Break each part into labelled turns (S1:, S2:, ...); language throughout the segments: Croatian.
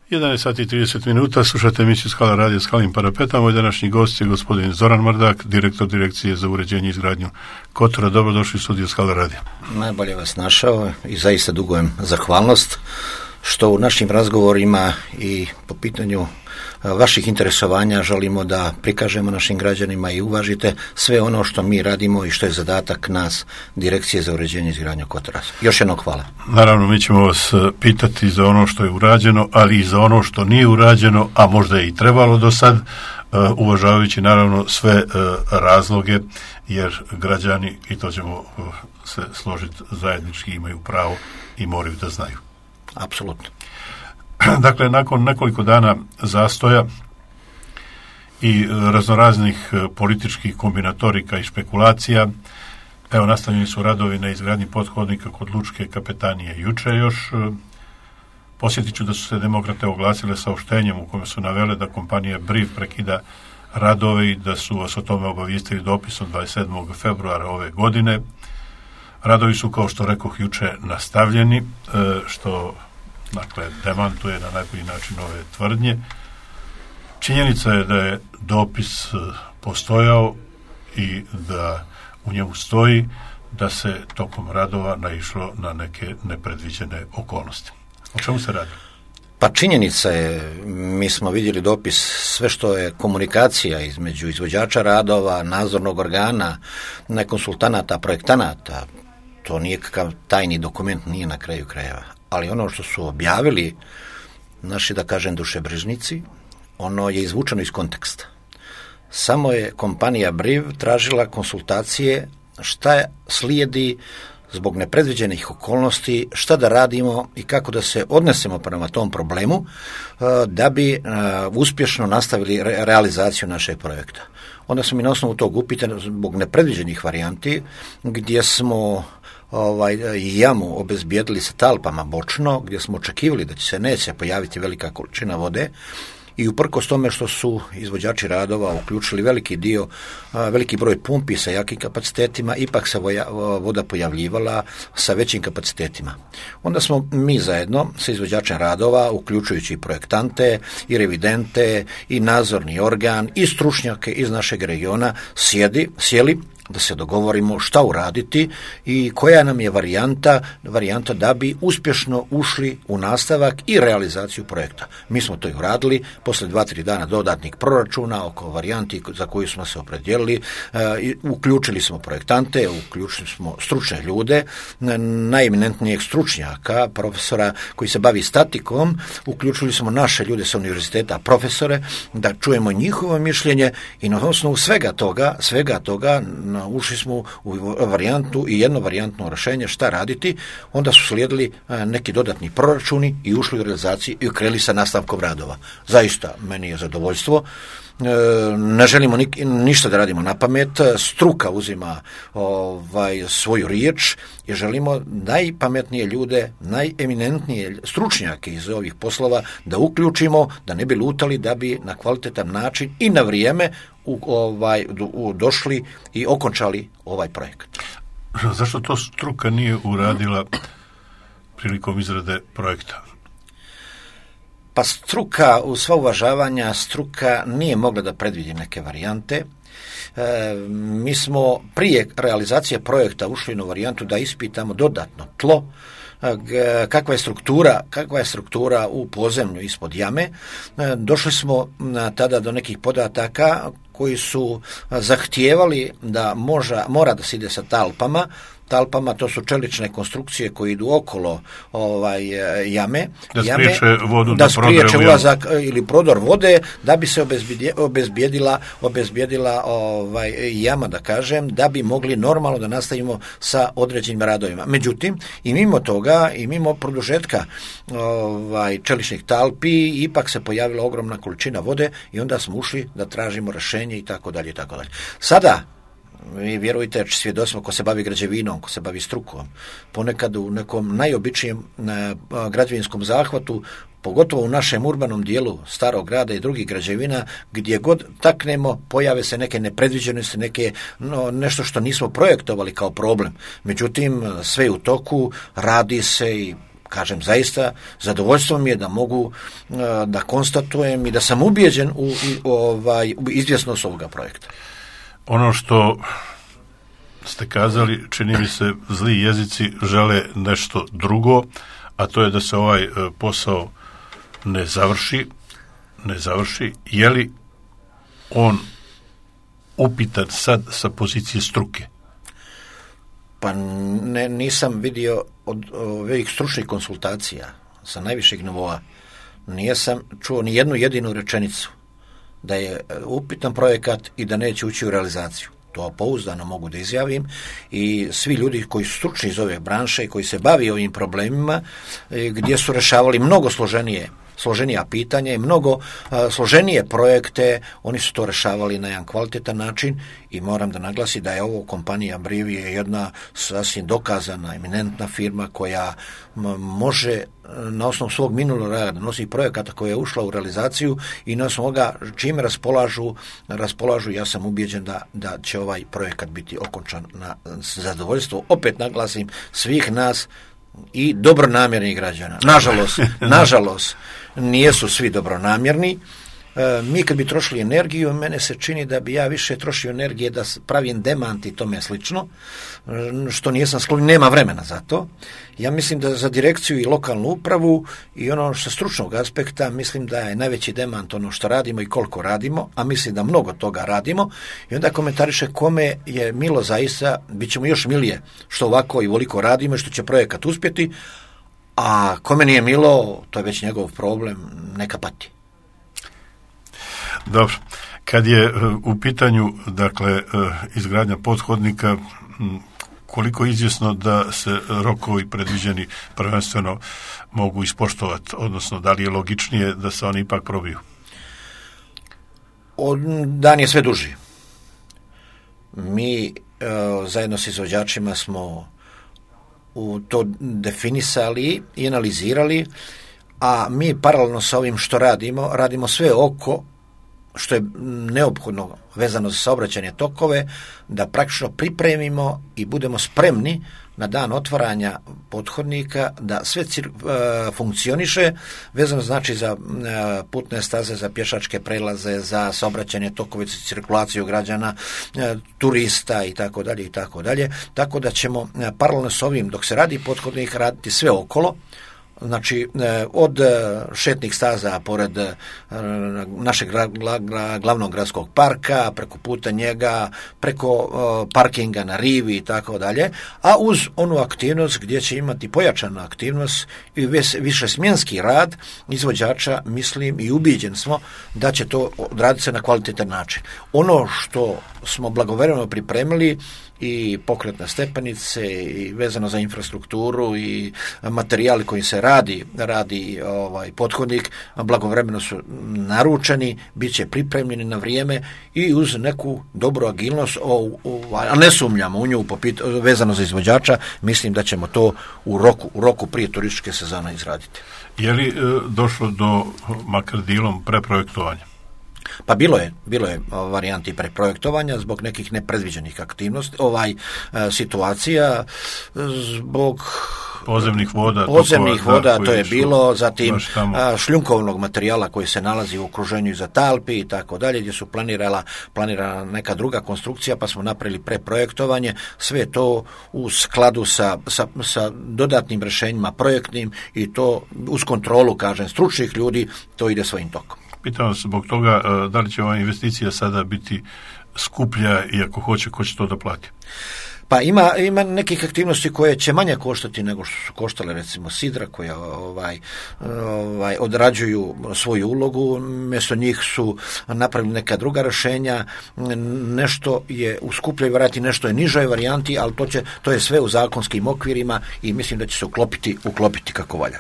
S1: 11 sati i 30 minuta, slušate emisiju Skala radija Skalim parapetom. Moj današnji gost je gospodin Zoran Mrdak, direktor Direkcije za uređenje i izgradnju Kotora. Dobrodošli u studiju Skala radija.
S2: Najbolje vas našao i zaista dugujem zahvalnost što u našim razgovorima i po pitanju vaših interesovanja želimo da prikažemo našim građanima i uvažite sve ono što mi radimo i što je zadatak nas, Direkcije za uređenje i izgradnju Kotora. Još jednom hvala.
S1: Naravno, mi ćemo vas pitati za ono što je urađeno, ali i za ono što nije urađeno, a možda je i trebalo do sad, uvažavajući naravno sve razloge, jer građani, i to ćemo se složiti zajednički, imaju pravo i moraju da znaju.
S2: Apsolutno.
S1: Dakle, nakon nekoliko dana zastoja i raznoraznih političkih kombinatorika i špekulacija, evo, nastavljeni su radovi na izgradnji pothodnika kod Lučke kapetanije juče još. Posjetit ću da su se demokrate oglasile saopštenjem u kojem su navele da kompanija Briv prekida radove i da su vas o tome obavijestili dopisom 27. februara ove godine. Radovi su, kao što rekoh juče, nastavljeni, što dakle demantuje na najbolji način ove tvrdnje. Činjenica je da je dopis postojao i da u njemu stoji da se tokom radova naišlo na neke nepredviđene okolnosti. O čemu se radi?
S2: Pa činjenica je, mi smo vidjeli dopis, sve što je komunikacija između izvođača radova, nadzornog organa, konsultanata, projektanata, to nije kakav tajni dokument, nije na kraju krajeva. Ali ono što su objavili naši, da kažem, dušebrižnici, ono je izvučeno iz konteksta. Samo je kompanija Briv tražila konsultacije šta slijedi zbog nepredviđenih okolnosti, šta da radimo i kako da se odnesemo prema tom problemu da bi uspješno nastavili realizaciju našeg projekta. Onda smo mi na osnovu tog upita zbog nepredviđenih varijanti, gdje smo jamu obezbijedili sa talpama bočno, gdje smo očekivali da će se neće pojaviti velika količina vode, i uprkos tome što su izvođači radova uključili veliki broj pumpi sa jakim kapacitetima, ipak se voda pojavljivala sa većim kapacitetima. Onda smo mi zajedno sa izvođačem radova, uključujući i projektante, i revidente, i nadzorni organ, i stručnjake iz našeg regiona, sjeli da se dogovorimo šta uraditi i koja nam je varijanta da bi uspješno ušli u nastavak i realizaciju projekta. Mi smo to i uradili, posle 2-3 dana dodatnih proračuna oko varijanti za koju smo se opredijelili, uključili smo projektante, uključili smo stručne ljude, najeminentnijeg stručnjaka, profesora koji se bavi statikom, uključili smo naše ljude sa univerziteta, profesore, da čujemo njihovo mišljenje i na osnovu svega toga ušli smo u varijantu i jedno varijantno rješenje šta raditi. Onda su slijedili neki dodatni proračuni i ušli u realizaciju i krenuli sa nastavkom radova. Zaista, meni je zadovoljstvo. Ne želimo ništa da radimo na pamet, struka uzima svoju riječ i želimo najpametnije ljude, najeminentnije stručnjake iz ovih poslova da uključimo, da ne bi lutali, da bi na kvalitetan način i na vrijeme došli i okončali ovaj projekat.
S1: Zašto to struka nije uradila prilikom izrade projekta?
S2: Pa struka, uz sva uvažavanja, struka nije mogla da predvidi neke varijante. Mi smo prije realizacije projekta ušli na varijantu da ispitamo dodatno tlo, kakva je struktura u podzemlju ispod jame. Došli smo tada do nekih podataka koji su zahtijevali da mora da se ide sa talpama. To su čelične konstrukcije koje idu okolo jame. Da spriječe ulazak ili prodor vode, da bi se obezbijedila jama, da kažem, da bi mogli normalno da nastavimo sa određenim radovima. Međutim, i mimo toga, i mimo produžetka čeličnih talpi, ipak se pojavila ogromna količina vode i onda smo ušli da tražimo rješenje i tako dalje. Sada, vi vjerujte, svjedoci smo, ko se bavi građevinom, ko se bavi strukom, ponekad u nekom najobičnijem građevinskom zahvatu, pogotovo u našem urbanom dijelu starog grada i drugih građevina, gdje god taknemo, pojave se neke nepredviđenosti, nešto što nismo projektovali kao problem. Međutim, sve je u toku, radi se i kažem, zaista zadovoljstvo mi je da mogu da konstatujem i da sam ubijeđen u izvjesnost ovoga projekta.
S1: Ono što ste kazali, čini mi se, zli jezici žele nešto drugo, a to je da se ovaj posao ne završi. Je li on upitan sad sa pozicije struke?
S2: Pa nisam vidio od ovih stručnih konsultacija sa najvišeg nivoa, nisam čuo ni jednu jedinu rečenicu da je upitan projekat i da neće ući u realizaciju. To pouzdano mogu da izjavim i svi ljudi koji su stručni iz ove branše i koji se bavi ovim problemima, gdje su rešavali mnogo složenija pitanja i mnogo složenije projekte, oni su to rešavali na jedan kvalitetan način i moram da naglasim da je ovo kompanija Brivije jedna sasvim dokazana, eminentna firma koja može na osnovu svog minulog rada nosi projekata koja je ušla u realizaciju i na osnovu ovoga čime raspolažu, ja sam ubijeđen da će ovaj projekat biti okončan na zadovoljstvo, opet naglasim, svih nas i dobronamjernih građana. Nažalost, nijesu svi dobronamjerni. Mi kad bi trošili energiju, mene se čini da bi ja više trošio energije da pravim demant i tome slično, što nisam sklon, nema vremena za to. Ja mislim da za direkciju i lokalnu upravu i ono što stručnog aspekta, mislim da je najveći demant ono što radimo i koliko radimo, a mislim da mnogo toga radimo i onda komentariše kome je milo zaista, bit ćemo još milije što ovako i voliko radimo i što će projekat uspjeti, a kome nije milo, to je već njegov problem, neka pati.
S1: Dobro, kad je u pitanju izgradnja pothodnika, koliko je izvjesno da se rokovi predviđeni prvenstveno mogu ispoštovati, odnosno da li je logičnije da se oni ipak probiju?
S2: Dan je sve duži. Mi zajedno s izvođačima smo to definisali i analizirali, a mi paralelno sa ovim što radimo sve oko što je neophodno vezano za saobraćajne tokove, da praktično pripremimo i budemo spremni na dan otvaranja pothodnika, da sve funkcioniše, vezano znači za putne staze, za pješačke prelaze, za saobraćajne tokove, za cirkulaciju građana, turista i tako dalje, tako da ćemo paralelno s ovim, dok se radi pothodnik, raditi sve okolo. Znači, od šetnih staza pored našeg glavnog gradskog parka, preko puta njega, preko parkinga na rivi i tako dalje, a uz onu aktivnost gdje će imati pojačanu aktivnost i više smjenski rad izvođača, mislim i ubijeđen smo da će to odraditi se na kvalitetan način. Ono što smo blagovremeno pripremili i pokretne stepenice i vezano za infrastrukturu i materijali koji se radi pothodnik, blagovremeno su naručeni, bit će pripremljeni na vrijeme i uz neku dobru agilnost, a ne sumnjamo u nju vezano za izvođača, mislim da ćemo to u roku prije turističke sezone izraditi.
S1: Je li došlo do makar dijelom preprojektovanja?
S2: Pa bilo je varijanti preprojektovanja zbog nekih nepredviđenih aktivnosti, situacija, zbog
S1: podzemnih voda,
S2: to je bilo, zatim šljunkovnog materijala koji se nalazi u okruženju iza Talpi i tako dalje, gdje su planirana neka druga konstrukcija, pa smo napravili preprojektovanje, sve to u skladu sa dodatnim rješenjima projektnim i to uz kontrolu, kažem, stručnih ljudi, to ide svojim tokom.
S1: Pitam vas zbog toga da li će ova investicija sada biti skuplja i ako hoće, ko će to da plati?
S2: Pa ima nekih aktivnosti koje će manje koštati nego što su koštale, recimo sidra koja odrađuju svoju ulogu, mjesto njih su napravili neka druga rješenja, nešto je u skupljoj varijanti, nešto je nižoj varijanti, ali to je sve u zakonskim okvirima i mislim da će se uklopiti kako valja.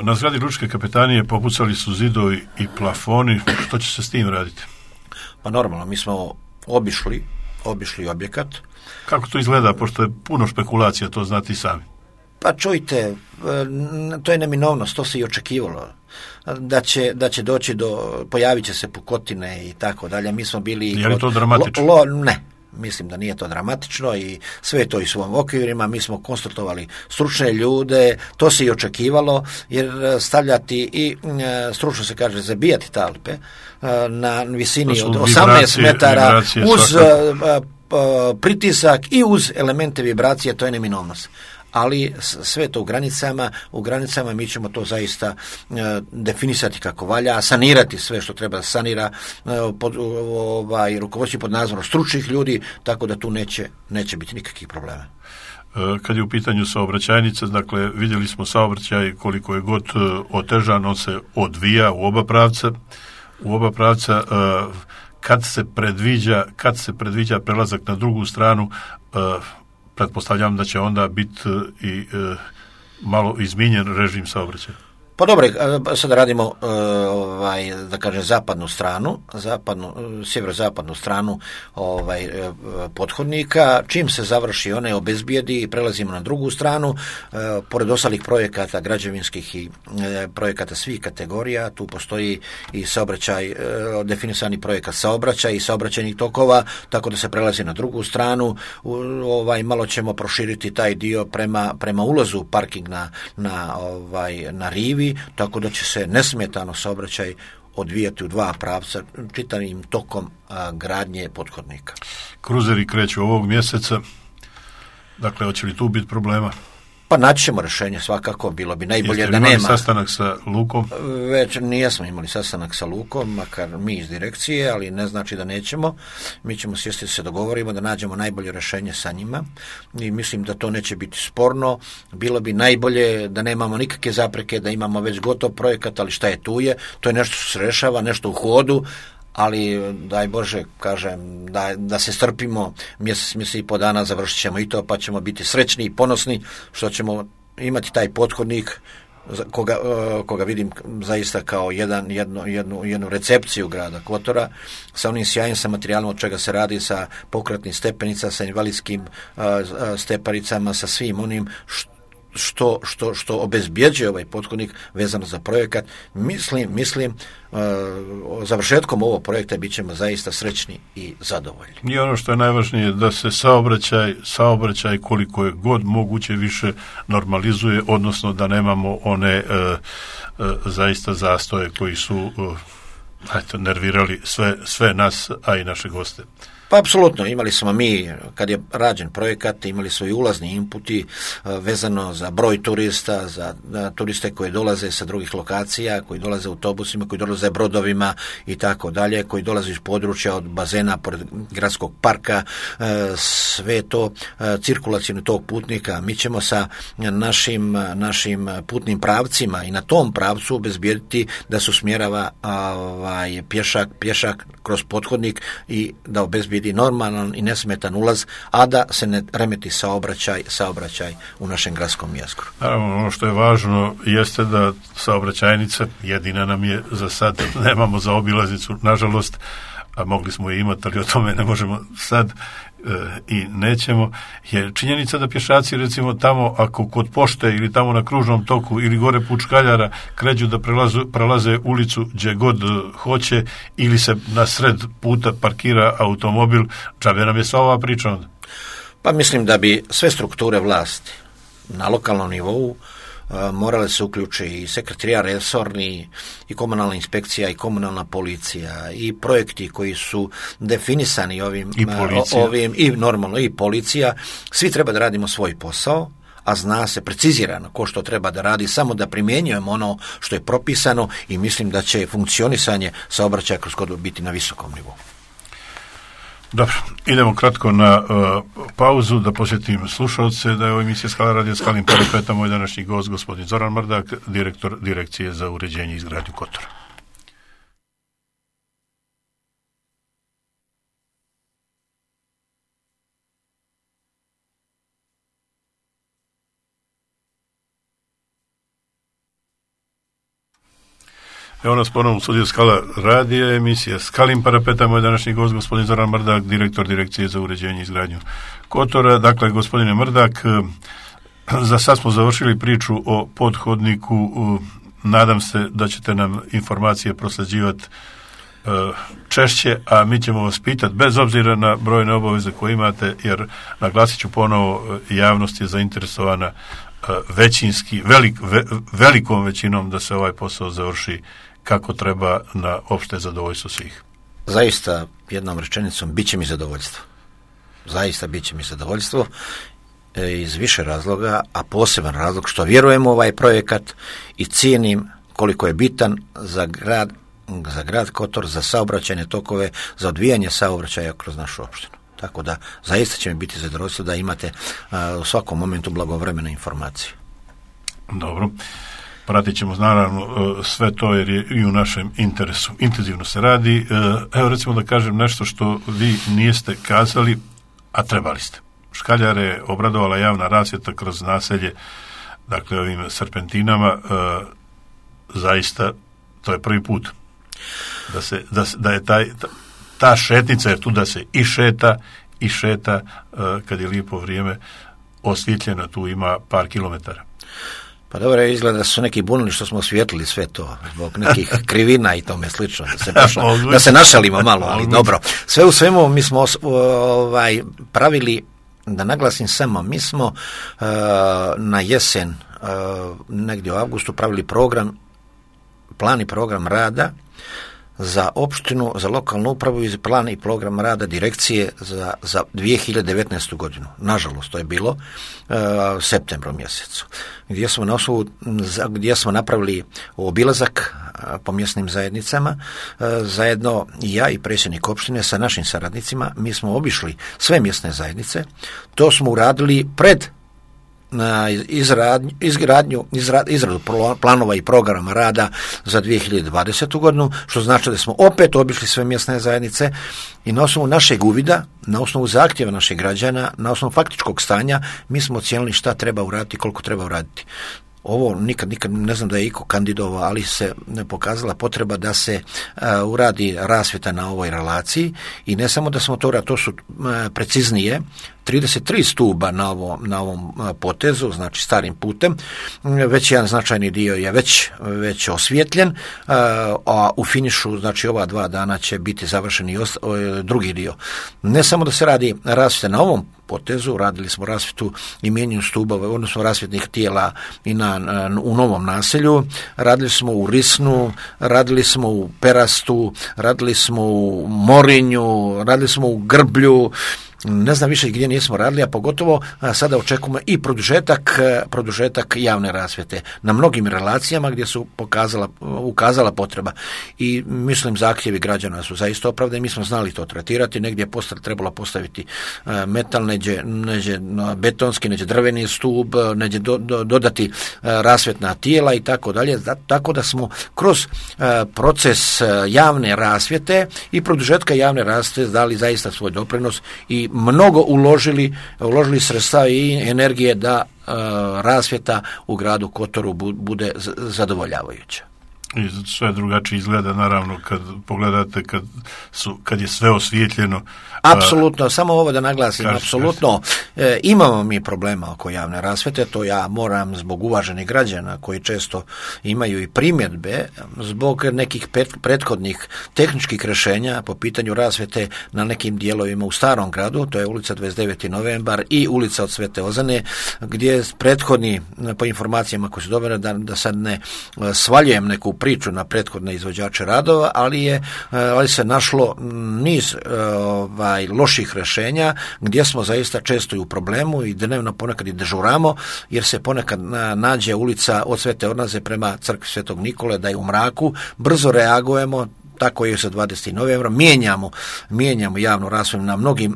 S1: Na zgradi Lučke kapetanije popucali su zidovi i plafoni. Što će se s tim raditi?
S2: Pa normalno, mi smo obišli objekat. Kako
S1: to izgleda, pošto je puno špekulacija, to znate i sami?
S2: Pa čujte, to je neminovnost, to se i očekivalo. Da će doći pojavit će se pukotine i tako dalje. Mi smo bili...
S1: Je li to dramatično?
S2: Ne. Mislim da nije to dramatično i sve je to i svojim okvirima. Mi smo konstatovali stručne ljude, to se i očekivalo, jer stavljati i stručno se kaže zabijati talpe na visini od 18 metara uz pritisak i uz elemente vibracije, to je neminovnost. Ali sve to u granicama mi ćemo to zaista definisati kako valja, sanirati sve što treba da sanira, rukovoditi pod nadzorom stručnih ljudi, tako da tu neće biti nikakvih problema.
S1: Kad je u pitanju saobraćajnica, dakle vidjeli smo saobraćaj koliko je god otežan, on se odvija u oba pravca. Kad se predviđa prelazak na drugu stranu, pretpostavljam da će onda biti i malo izmijenjen režim saobraćaja.
S2: Pa dobro, sada radimo da kažem zapadnu stranu, sjeverozapadnu stranu pothodnika. Čim se završi one obezbijedi i prelazimo na drugu stranu, pored ostalih projekata građevinskih i projekata svih kategorija, tu postoji i saobraćaj, definisani projekat saobraćaj i saobraćajnih tokova, tako da se prelazi na drugu stranu. Malo ćemo proširiti taj dio prema ulazu parking na rivi, tako da će se nesmetano saobraćaj odvijati u dva pravca čitavim tokom gradnje pothodnika.
S1: Kruzeri kreću ovog mjeseca, dakle hoće li tu biti problema?
S2: Pa naći ćemo rješenje svakako, bilo bi najbolje da nema.
S1: Jeste imali sastanak sa Lukom?
S2: Već nijesmo imali sastanak sa Lukom, makar mi iz direkcije, ali ne znači da nećemo. Mi ćemo sjesti da se dogovorimo, da nađemo najbolje rješenje sa njima i mislim da to neće biti sporno. Bilo bi najbolje da nemamo nikakve zapreke, da imamo već gotov projekat, ali šta je tu je. To je nešto što se rešava, nešto u hodu, ali daj Bože, kažem, da se strpimo, mjesec i po dana završit ćemo i to, pa ćemo biti srećni i ponosni što ćemo imati taj pothodnik koga vidim zaista kao jednu recepciju grada Kotora, sa onim sjajnim sa materijalom od čega se radi, sa pokretnim stepenicama, sa invalidskim stepenicama, sa svim onim što obezbjeđuje ovaj pothodnik vezano za projekat. Mislim završetkom ovog projekta bit ćemo zaista srećni i zadovoljni.
S1: I ono što je najvažnije, da se saobraćaj koliko je god moguće više normalizuje, odnosno da nemamo one zaista zastoje koji su nervirali sve nas, a i naše goste.
S2: Pa apsolutno, imali smo mi, kad je rađen projekat, imali smo i ulazni inputi vezano za broj turista, za turiste koji dolaze sa drugih lokacija, koji dolaze autobusima, koji dolaze brodovima i tako dalje, koji dolaze iz područja od bazena, pored gradskog parka, sve to cirkulacijno tog putnika. Mi ćemo sa našim putnim pravcima i na tom pravcu obezbijediti da se usmjerava pješak kroz pothodnik i da obezbijedi normalan i nesmetan ulaz, a da se ne remeti saobraćaj u našem gradskom jezgru.
S1: Naravno, ono što je važno jeste da saobraćajnica, jedina nam je za sad, nemamo za obilaznicu, nažalost, a mogli smo je imati, ali o tome ne možemo sad i nećemo, je činjenica da pješaci recimo tamo, ako kod pošte ili tamo na kružnom toku ili gore Pučkaljara kređu da prelaze ulicu gdje god hoće ili se na sred puta parkira automobil, džabe nam je sva ova priča onda?
S2: Pa mislim da bi sve strukture vlasti na lokalnom nivou morale se uključi i sekretarijat resorni, i komunalna inspekcija, i komunalna policija, i projekti koji su definisani ovim i normalno i policija. Svi treba da radimo svoj posao, a zna se precizirano ko što treba da radi, samo da primjenjujemo ono što je propisano i mislim da će funkcionisanje saobraćaja kroz Kotor biti na visokom nivou.
S1: Dobro, idemo kratko na pauzu, da posjetim slušalce da je ovo emisija Skala radio Skalim Parapeta, moj današnji gost gospodin Zoran Mrdak, direktor Direkcije za uređenje i izgradnju Kotora. Evo nas ponovno u studiju Skala radija, emisija Skalim Parapeta, moj današnji gost gospodin Zoran Mrdak, direktor Direkcije za uređenje i izgradnju Kotora. Dakle, gospodine Mrdak, za sad smo završili priču o pothodniku, nadam se da ćete nam informacije prosljeđivati češće, a mi ćemo vas pitati bez obzira na brojne obaveze koje imate, jer naglasit ću ponovo, javnost je zainteresovana većinski, velikom većinom da se ovaj posao završi kako treba na opšte zadovoljstvo svih.
S2: Zaista, jednom rečenicom, bit će mi zadovoljstvo. Zaista bit će mi zadovoljstvo iz više razloga, a poseban razlog što vjerujem u ovaj projekat i cijenim koliko je bitan za grad Kotor, za saobraćajne tokove, za odvijanje saobraćaja kroz našu opštinu. Tako da zaista će mi biti zadovoljstvo da imate u svakom momentu blagovremene informacije.
S1: Dobro. Pratit ćemo naravno sve to jer je i u našem interesu. Intenzivno se radi. Evo recimo da kažem nešto što vi niste kazali, a trebali ste. Škaljare je obradovala javna rasvjeta kroz naselje, dakle ovim serpentinama, zaista to je prvi put da je ta šetnica, jer tu da se i šeta kad je lijepo vrijeme, osvjetljena, tu ima par kilometara.
S2: Pa dobro, izgleda da su neki bunili što smo osvijetlili sve to zbog nekih krivina i tome slično, da se našalimo malo, ali dobro. Sve u svemu mi smo pravili, da naglasim samo, mi smo na jesen, negdje u avgustu, pravili plan i program rada za opštinu, za lokalnu upravu i plan i program rada direkcije za 2019. godinu. Nažalost, to je bilo septembru mjesecu, gdje smo napravili obilazak po mjesnim zajednicama, zajedno i ja i predsjednik opštine sa našim saradnicima. Mi smo obišli sve mjesne zajednice, to smo uradili pred na izradu planova i programa rada za 2020. godinu, što znači da smo opet obišli sve mjesne zajednice i na osnovu našeg uvida, na osnovu zahtjeva naših građana, na osnovu faktičkog stanja, mi smo ocijenili šta treba uraditi, koliko treba uraditi. Ovo nikad ne znam da je iko kandidovao, ali se pokazala potreba da se uradi rasvjeta na ovoj relaciji i ne samo da smo to su preciznije 33 stuba na ovom potezu, znači starim putem, već jedan značajni dio je već osvjetljen, a u finišu, znači ova 2 dana će biti završen i drugi dio. Ne samo da se radi rasvjeta na ovom potezu, radili smo rasvjetu i mijenjanju stubova, odnosno rasvjetnih tijela i u Novom naselju, radili smo u Risnu, radili smo u Perastu, radili smo u Morinju, radili smo u Grblju, ne znam više gdje nismo radili, a pogotovo sada očekujemo i produžetak javne rasvjete na mnogim relacijama gdje su ukazala potreba. I mislim zahtjevi građana su zaista opravdani, mi smo znali to tretirati, negdje je trebalo postaviti metal, neđe betonski, neđe drveni stup, neđe dodati rasvjetna tijela i tako dalje, tako da smo kroz proces javne rasvjete i produžetka javne rasvjete dali zaista svoj doprinos i mnogo uložili sredstava i energije da rasvjeta u gradu Kotoru bude zadovoljavajuća.
S1: I sve drugačije izgleda, naravno, kad pogledate kad je sve osvjetljeno.
S2: Apsolutno, samo ovo da naglasim, apsolutno. Imamo mi problema oko javne rasvjete, to ja moram zbog uvaženih građana koji često imaju i primjedbe zbog nekih prethodnih tehničkih rješenja po pitanju rasvjete na nekim dijelovima u starom gradu, to je ulica 29. novembar i ulica od Svete Ozane, gdje prethodni, po informacijama koje su dobile, da sad ne svaljujem neku priču na prethodne izvođače radova, ali se našlo niz loših rješenja gdje smo zaista često i u problemu i dnevno ponekad i dežuramo, jer se ponekad nađe ulica od Svete Ornaze prema crkvi Svetog Nikole da je u mraku, brzo reagujemo, tako je sa 20. novembra, mijenjamo javnu rasvjetu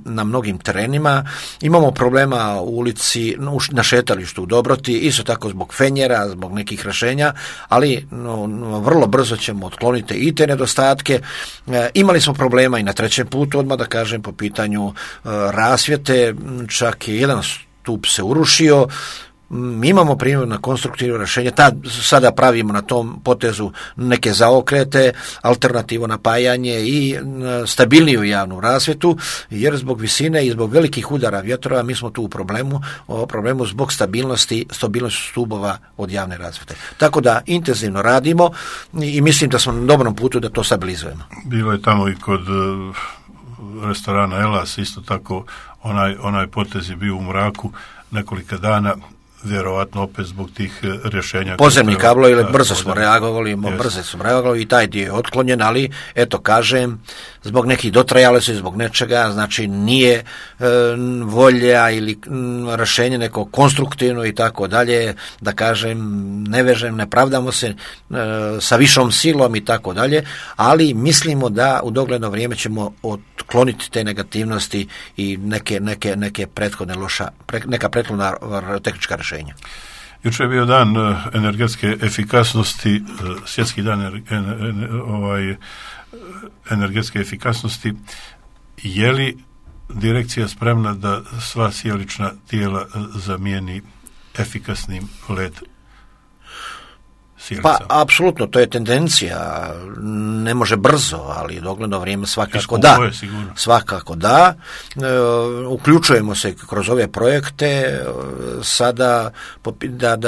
S2: na mnogim terenima, imamo problema u ulici, na šetalištu u Dobroti, isto tako zbog fenjera, zbog nekih rješenja, ali vrlo brzo ćemo otkloniti i te nedostatke. Imali smo problema i na trećem putu, odmah da kažem, po pitanju rasvjete, čak je jedan stup se urušio, mi imamo primjer na konstruktivno rješenje, sada pravimo na tom potezu neke zaokrete, alternativo napajanje i stabilniju javnu rasvjetu, jer zbog visine i zbog velikih udara vjetrova mi smo tu u problemu zbog stabilnosti stubova od javne rasvjete. Tako da intenzivno radimo i mislim da smo na dobrom putu da to stabilizujemo.
S1: Bilo je tamo i kod restorana Elas, isto tako onaj potez je bio u mraku nekolika dana, vjerovatno opet zbog tih rješenja.
S2: Pozemni kablovi, brzo smo reagovali i taj dio je otklonjen, ali eto kažem, zbog nekih dotrajalosti, zbog nečega, znači nije volja ili rješenje neko konstruktivno i tako dalje, da kažem, ne vežem, ne pravdamo se sa višom silom i tako dalje, ali mislimo da u dogledno vrijeme ćemo otkloniti te negativnosti i neke prethodne neka prethodna tehnička rješenja.
S1: Jučer je bio dan energetske efikasnosti, svjetski dan energetske efikasnosti. Je li direkcija spremna da sva sjelična tijela zamijeni efikasnim LED sjelicama?
S2: Pa, apsolutno, to je tendencija, ne može brzo, ali dogledno vrijeme svakako da. Svakako da. Uključujemo se kroz ove projekte sada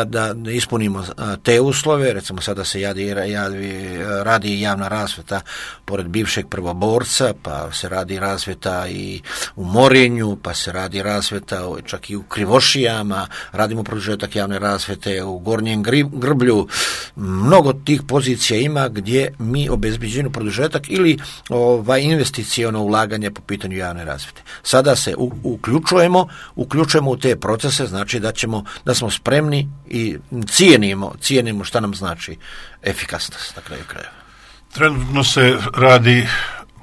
S2: da ispunimo te uslove, recimo sada se radi javna rasvjeta pored bivšeg prvoborca, pa se radi rasvjeta i u Morinju, pa se radi rasvjeta čak i u Krivošijama, radimo produžetak javne rasvjete u Gornjem Grblju. Mnogo tih pozicija ima gdje mi obezbeđujemo produžetak ili investiciono ulaganje po pitanju javne rasvjete. Sada se uključujemo u te procese, znači da smo spremni i cijenimo šta nam znači efikasnost na kraju krajeva.
S1: Trenutno se radi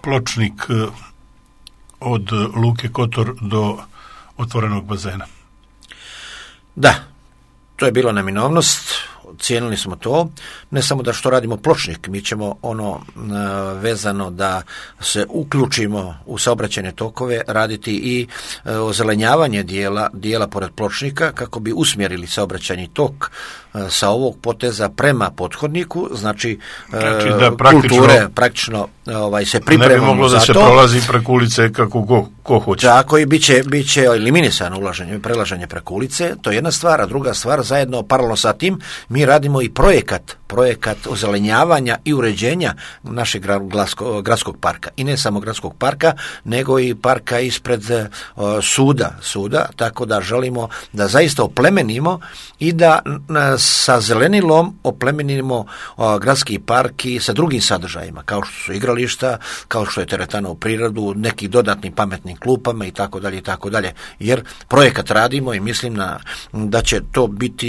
S1: pločnik od Luke Kotor do otvorenog bazena.
S2: Da, to je bila neminovnost. Cijenili smo to, ne samo da što radimo pločnik, mi ćemo vezano da se uključimo u saobraćajne tokove, raditi i ozelenjavanje dijela pored pločnika kako bi usmjerili saobraćajni tok sa ovog poteza prema pothodniku, znači
S1: da
S2: praktično se pripremamo za to.
S1: Ne bi moglo da se prolazi preko ulice kako ko hoće.
S2: Tako i bit će eliminisano prelaženje preko ulice, to je jedna stvar, a druga stvar, zajedno paralelno sa tim mi radimo i projekat ozelenjavanja i uređenja našeg gradskog parka. I ne samo gradskog parka, nego i parka ispred suda, tako da želimo da zaista oplemenimo i da sa zelenilom oplemenimo gradski park i sa drugim sadržajima, kao što su igrališta, kao što je teretana u prirodu, nekih dodatnim pametnim klupama i tako dalje. Jer projekat radimo i mislim da će to biti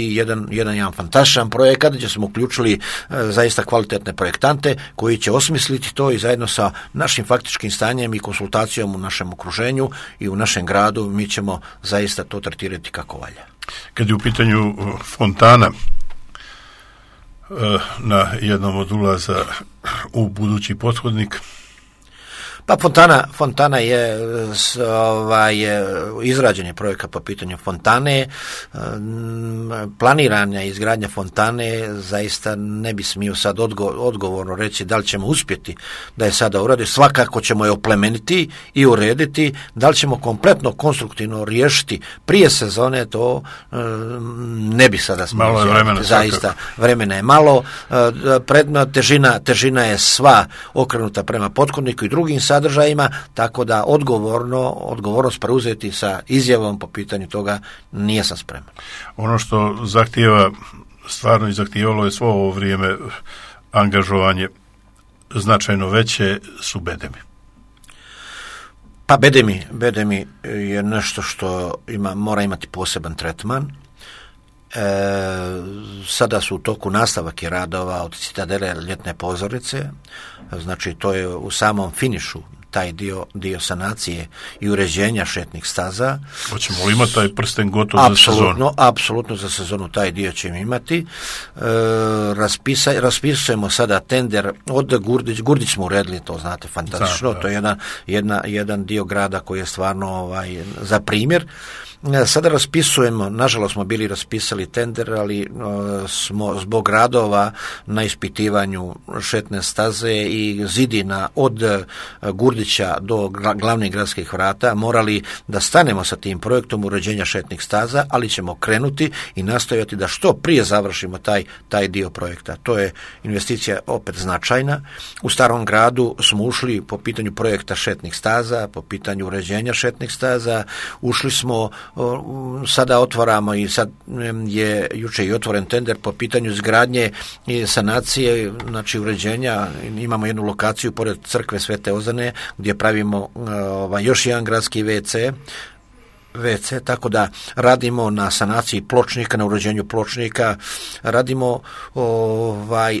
S2: jedan fantastičan projekat gdje smo uključili zaista kvalitetne projektante koji će osmisliti to i zajedno sa našim faktičkim stanjem i konsultacijom u našem okruženju i u našem gradu mi ćemo zaista to tretirati kako valja.
S1: Kad je u pitanju fontana na jednom od ulaza u budući pothodnik,
S2: pa fontana je izrađen je projekat po pitanju fontane, planirana izgradnja fontane, zaista ne bi smio sad odgovorno reći da li ćemo uspjeti da je sada uraditi, svakako ćemo je oplemeniti i urediti, da li ćemo kompletno konstruktivno riješiti prije sezone, to ne bi sada smio.
S1: Malo je vremena,
S2: zaista vremena je malo, težina je sva okrenuta prema pothodniku i drugim sadržajima, tako da odgovornost preuzeti sa izjavom po pitanju toga nije sam spreman.
S1: Ono što zahtijeva, stvarno i zahtijevalo je svo ovo vrijeme angažovanje značajno veće, su bedemi.
S2: Pa bedemi je nešto što mora imati poseban tretman. Sada su u toku nastavak radova od Citadele ljetne pozornice, znači to je u samom finišu taj dio sanacije i uređenja šetnih staza.
S1: Hoćemo li imati taj prsten gotov za sezonu?
S2: Apsolutno za sezonu taj dio ćemo imati. Raspisujemo sada tender od Gurdić smo uredili, to znate fantastično, to je jedan dio grada koji je stvarno za primjer. Sada raspisujemo, nažalost smo bili raspisali tender, ali smo zbog radova na ispitivanju šetne staze i zidina od Gurdića do glavnih gradskih vrata morali da stanemo sa tim projektom uređenja šetnih staza, ali ćemo krenuti i nastojati da što prije završimo taj dio projekta. To je investicija opet značajna. U Starom gradu smo ušli po pitanju projekta šetnih staza, po pitanju uređenja šetnih staza, ušli smo, sada otvaramo i sad je jučer i otvoren tender po pitanju izgradnje i sanacije, znači uređenja. Imamo jednu lokaciju pored crkve Svete Ozane gdje pravimo još jedan gradski WC, tako da radimo na sanaciji pločnika, na uređenju pločnika, radimo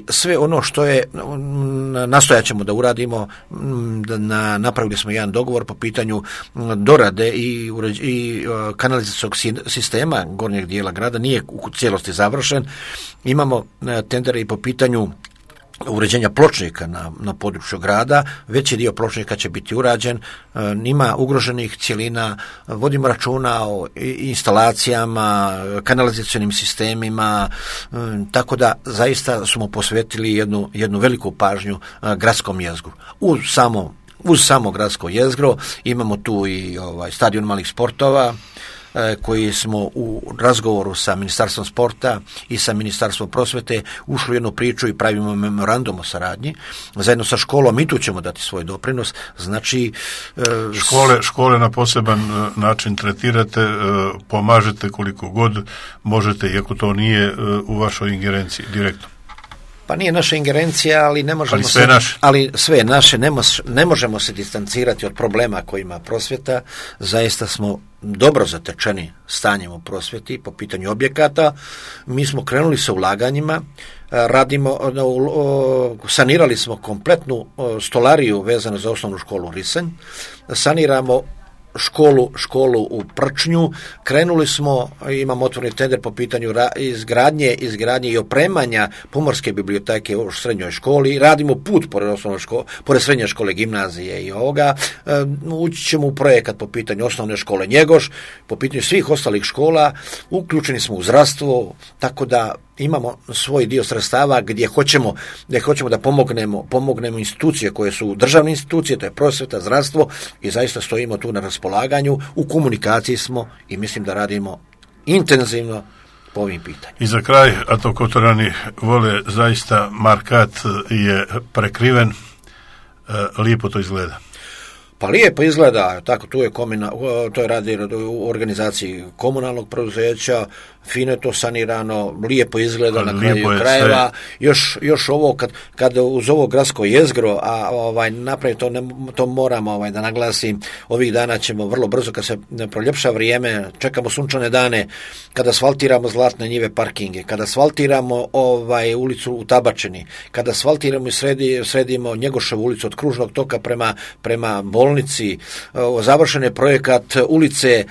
S2: sve ono što je, nastojat ćemo da uradimo, napravili smo jedan dogovor po pitanju dorade i kanalizacijskog sistema gornjeg dijela grada, nije u cijelosti završen, imamo tendere i po pitanju uređenja pločnika na području grada, veći dio pločnika će biti urađen, ima ugroženih cjelina, vodimo računa o instalacijama, kanalizacionim sistemima, tako da zaista smo posvetili jednu veliku pažnju gradskom jezgru. Uz samo gradsko jezgro imamo tu i stadion malih sportova, koji smo u razgovoru sa Ministarstvom sporta i sa Ministarstvom prosvete ušli u jednu priču i pravimo memorandum o saradnji. Zajedno sa školom i tu ćemo dati svoj doprinos. Znači,
S1: škole na poseban način tretirate, pomažete koliko god možete, iako to nije u vašoj ingerenciji direktno.
S2: Pa nije naša ingerencija, ali ne možemo sve je naše, ne možemo se distancirati od problema koji ima prosvjeta. Zaista smo dobro zatečeni stanjem u prosvjeti po pitanju objekata. Mi smo krenuli sa ulaganjima, sanirali smo kompletnu stolariju vezanu za osnovnu školu Risanj, saniramo školu u Prčnju, krenuli smo, imamo otvoreni tender po pitanju izgradnje i opremanja pomorske biblioteke u srednjoj školi, radimo put pored srednje škole, gimnazije i ovoga, ući ćemo u projekat po pitanju osnovne škole Njegoš, po pitanju svih ostalih škola, uključeni smo u zdravstvo, tako da imamo svoj dio sredstava gdje hoćemo da pomognemo institucije koje su državne institucije, to je prosvjeta, zdravstvo, i zaista stojimo tu na raspolaganju, u komunikaciji smo i mislim da radimo intenzivno po ovim pitanjima.
S1: I za kraj, a to Kotorani vole zaista, markat je prekriven, lijepo to izgleda.
S2: Pa lijepo izgleda, tako, to je radi u organizaciji komunalnog preduzeća, fino je to sanirano, lijepo izgleda na kraju krajeva, još ovo kad uz ovo gradsko jezgro, a napravi to moramo da naglasim, ovih dana ćemo vrlo brzo, kad se proljepša vrijeme, čekamo sunčane dane, kada asfaltiramo Zlatne njive parkinge, kada asfaltiramo ulicu u Tabačini, kada asfaltiramo i sredimo Njegoševu ulicu od Kružnog toka prema bolnici, završen je projekat ulice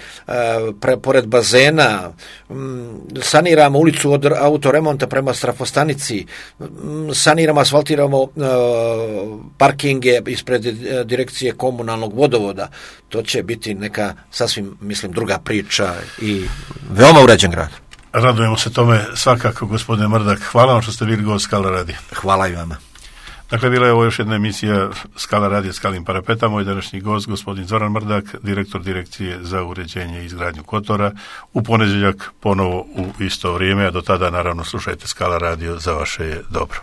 S2: pored bazena, saniramo ulicu od autoremonta prema Strafostanici, saniramo, asfaltiramo parkinge ispred direkcije komunalnog vodovoda. To će biti neka sasvim, mislim, druga priča i veoma uređen grad.
S1: Radujemo se tome svakako, gospodine Mrdak. Hvala vam što ste bili gost Skala radija.
S2: Hvala i vama.
S1: Dakle, bila je ovo još jedna emisija Skala radija Skalim parapeta. Moj današnji gost, gospodin Zoran Mrdak, direktor Direkcije za uređenje i izgradnju Kotora. U ponedjeljak ponovo u isto vrijeme, a do tada naravno slušajte Skala radio, za vaše je dobro.